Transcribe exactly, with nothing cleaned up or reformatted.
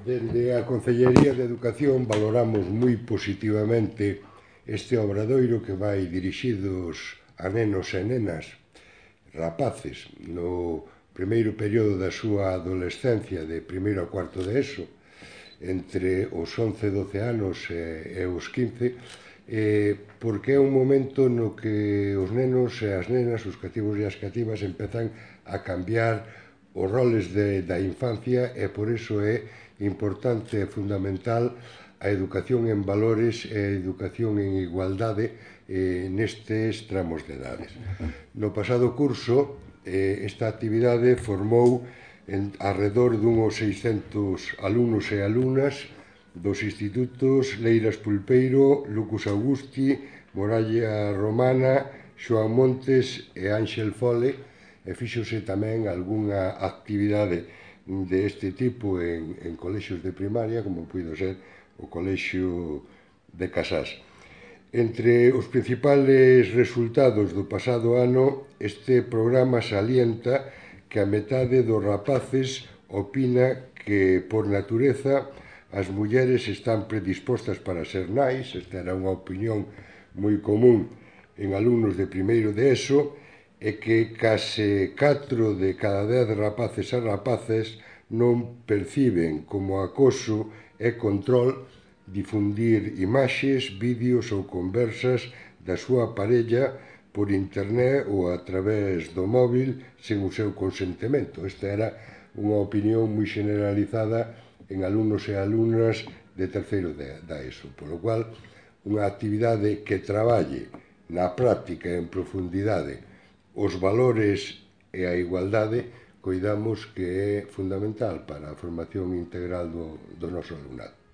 Dende a Concellería de Educación valoramos moi positivamente este obradoiro que vai dirixidos a nenos e nenas rapaces no primeiro período da súa adolescencia, de primeiro a cuarto de ESO, entre os once e doce anos e, e os quince, eh, porque é un momento no que os nenos e as nenas, os cativos e as cativas, empezan a cambiar os roles de, da infancia, e por iso é importante e fundamental a educación en valores e a educación en igualdade eh, nestes tramos de edades. No pasado curso, eh, esta actividade formou en arredor dunhos seiscentos alumnos e alumnas dos institutos Leiras Pulpeiro, Lucus Augusti, Moralla Romana, Xoán Montes e Ánxel Fole, e fíxose tamén algunha actividade deste tipo en, en colexios de primaria, como puido ser o colexio de Casás. Entre os principales resultados do pasado ano, este programa salienta que a metade dos rapaces opina que, por natureza, as mulleres están predispostas para ser nais. Esta era unha opinión moi común en alumnos de primeiro de ESO, e que case catro de cada dez rapaces e rapaces non perciben como acoso e control difundir imaxes, vídeos ou conversas da súa parella por internet ou a través do móvil sen o seu consentimento. Esta era unha opinión moi generalizada en alumnos e alumnas de terceiro da ESO, polo cual unha actividade que traballe na práctica e en profundidade os valores e a igualdade, coidamos que é fundamental para a formación integral do, do noso alumnado.